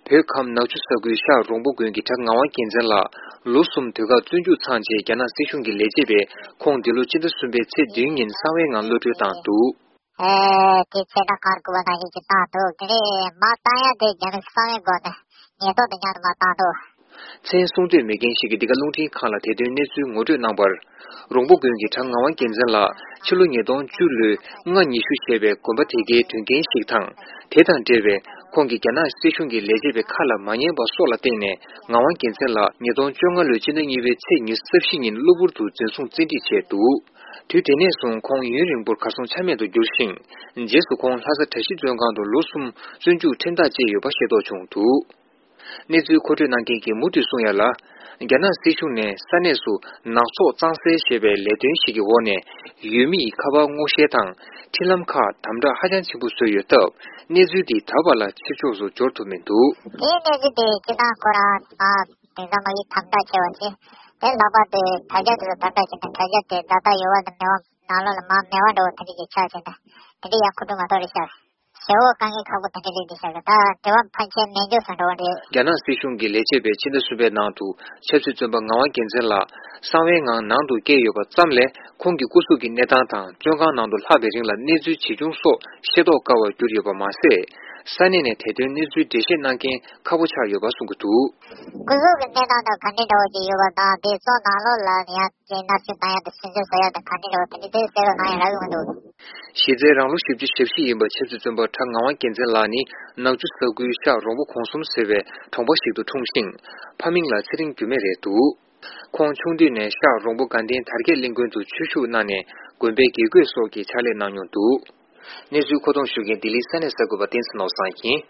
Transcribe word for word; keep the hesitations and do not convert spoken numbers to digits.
བོད་ཁམས་ནག་ཆུ་ས་ཁུལ་ཤག་རོང་པོ་དགོན་གྱི་གྲྭ་ངག་དབང་རྒྱལ་མཚན་ལགས་ལོ་གསུམ་དུས་བཀག་བཙོན་འཇུག་ཚང་རྗེས་རྒྱ་ནག་སྲིད་གཞུང་གིས་ལས་བྱེད་པས་ཁོང་འདི་ལོ་སྤྱི་ཟླ་གསུམ་པའི་ཚེས་བདུན་ཉིན་གསང་བའི་ངང་གློད་གྲོལ་བཏང་འདུག། ཨེ། དེ་ཚེ་ད་གར་དགོས་པ་ནང་བཞིན་གྱི་བཏང་འདུག། དེ་ནས་མ་བཏང་ཡ་དེ་རྒྱ་ནག་གསང་བའི་སྒོ་ནས་ཉེན་རྟོག་དང་མཉམ་དུ་མ་བཏང་འདུག། མཚན་གསུང་འདོད་མེད་མཁན་ཞིག་གིས་འདི་ག་རླུང་འཕྲིན་ཁང་ལ་དེ་དོན་གནས་ཚུལ་ངོ་སྤྲོད་གནང་བར། རོང་པོ་དགོན་གྱི་གྲྭ་ངག་དབང་རྒྱལ་མཚན་ལགས་ཕྱི་ལོ་ཉིས་སྟོང་བཅུ་ལོའི་ལྔ་ཉི་ཤུ་ཞེས་པའི་དགོན་པ་དེ་གའི་དོན་རྐྱེན་ཞིག་དང་། དེ་དང་འབྲེལ་བའི་ཁོང་གིས་རྒྱ་ནག་སྲིད་གཞུང་གི་ལས་བྱེད་པའི་ཁ་ལ་མ་ཉན་པ་སོགས་ལ་བརྟེན་ནས་ངག་དབང་རྒྱལ་མཚན་ལགས་ཉིས་སྟོང་བཅོ་ལྔ་ལོའི་སྤྱི་ཟླ་གཉིས་པའི་ཚེས་ཉི་ཤུ་རྩ་བཞི་ཉིན་གློ་བུར་དུ་འཛིན་བཟུང་བཙན་ཁྲིད་བྱས་འདུག། དུས་དེ་ནས་བཟུང་ཁོང་ཡུན་རིང་པོར་གར་སོང་ཆ་མེད་དུ་གྱུར་ཞིང་། རྗེས་སུ་ཁོང་ལྷ་ས་གྲྭ་བཞི་བཙོན་ཁང་དུ་ལོ་གསུམ་བཙོན་འཇུག་ཁྲིམས་ཐག་བཅད་ཡོད་པ་ཤེས་རྟོགས་བྱུང་འདུག། གནས་ཚུལ་མཁོ་སྤྲོད་གནང་མཁན་གྱིས་མུ་མཐུད་གསུང་ཡ་ལ། རྒྱ་ནག་སྲིད་གཞུང་ནས་ས་གནས་སུ་ནག་ཚོགས་གཙང་སེལ་ཞེས་པའི་ལས་དོན་ཞིག་གི་འོག་ནས་ཡུལ་མི་ཡི་ཁ་པར་སྔོག་བཤེར་དང་འཕྲིན་ལམ་ཁག་དམ་དྲག་ཧ་ཅང་ཆེན་པོ་བཟོས་ཡོད་སྟབས། གནས་ཚུལ་འདི་ད་བར་ལ་ཕྱི་ཕྱོགས་སུ་འབྱོར་ཐུབ་མི་འདུག། དེའི་གནས་ཚུལ་དེ་སྤྱི་བཏང་ཁོ་རང་ཨ་དེང་སང་མ་ཡིག་དམ་དྲག་ཆེ་བ་ཞིག་དེ་ལྷག་པར་དུ་དྲ་རྒྱ་དེ་ཚོ་དམ་དྲག་བྱས་ནས་དྲ་རྒྱ་དེ་ད་ལྟ་ཡོད་པ་དང་མེད་པ་ནང་ལོགས་ལ་མ་མེད་པ་འདྲ་བོ་དེ་འདྲ་ཅིག་ཆགས་བྱས་ནས་དེ་འདྲ་ཡང་མཁོ་སྤྲོད་མ་གཏོགས་རེད་ཤག། ཞེ་པོ་དཀའ་ངལ་ཁག་པོ་དེ་འདྲ་རེད་འདི་ཤག་གི་ད་དྲི་བ་ཕལ་ཆེར་མེད་འཇོག་སུ་འགྲོ་བ་རེད། རྒྱ་ནག་སྲིད་གཞུང་གི་ལས་བྱེད་པས་ཕྱི་ཟླ་གསུམ་པའི་ནང་དུ་ཆབ་སྲིད་བཙོན་པ་ངག་དབང་རྒྱལ་མཚན་ལགས་གསང་བའི་ངང་ནང་དུ་བསྐྱལ་ཡོད་པ་ཙམ་ལས། ཁོང་གི་སྐུ་གཟུགས་ཀྱི་གནས་སྟངས་དང་བཙོན་ཁང་ནང་དུ་ལྷག་པའི་རིང་ལ་གནས་ཚུལ་ཇི་བྱུང་སོགས་ཤེས་རྟོགས་དཀའ་བར་གྱུར་ཡོད་པ་མ་ཟད། ས་གནས་ནས་དེ་དོན་གནས་ཚུལ་འགྲེལ་བཤད་གནང་མཁན་ཁག་པོ་ཆགས་ཡོད་པ་གསུང་གི་འདུག། སྐུ་གཟུགས་ཀྱི་གནས་སྟངས་དང་ག་འདྲ་འདྲ་བོ་ཅིག་ཡོད་པ་དང་དེ་བཙོན་ནང་ལོགས་ལ་ཡང་ཅིག་མནར་གཅོད་བཏང་ཡ་དང་སུན་གཙེར་བཟོ་ཡ་དང་ག་འདྲ་འདྲ་བོ་དེ་འདྲ་དེ་གསལ་བོ་གནང་ཡ་རག་གི་མི་འདུག། གཞི་རྩའི་རང་ལོ་བཞི་བཅུ་ཞེ་བཞི་ཡིན་པ་ཆབ་སྲིད་བཙོན་པ་གྲྭ་ངག་དབང་རྒྱལ་མཚན་ལགས་ནི་ནག་ཆུ་ས་ཁུལ་ཤག་རོང་པོ་གོང་གསུམ་ཟེར་བའི་གྲོང་པ་ཞིག་ཏུ་འཁྲུངས་ཤིང་། ཕ་མིང་ལ་ཚེ་རིང་འགྱུར་མེད་རེད་འདུག། ཁོང་ཆུང་དུས་ནས་ཤག་རོང་པོ་དགའ་ལྡན་དར་རྒྱས་གླིང་དགོན་དུ་ཆོས་ཞུགས་གནང་ནས་དགོན་པའི་དགེ་བསྐོས་སོགས་ཀྱི་ཕྱག་ལས་གནང་མྱོང་འདུག། གནས་ཚུལ་མཁོ་གཏོང་ཞུ་མཁན་ལྡི་ལི་ས་གནས་གསར་འགོད་པ་བསྟན་འཛིན་ནོར་བཟང་ཡིན།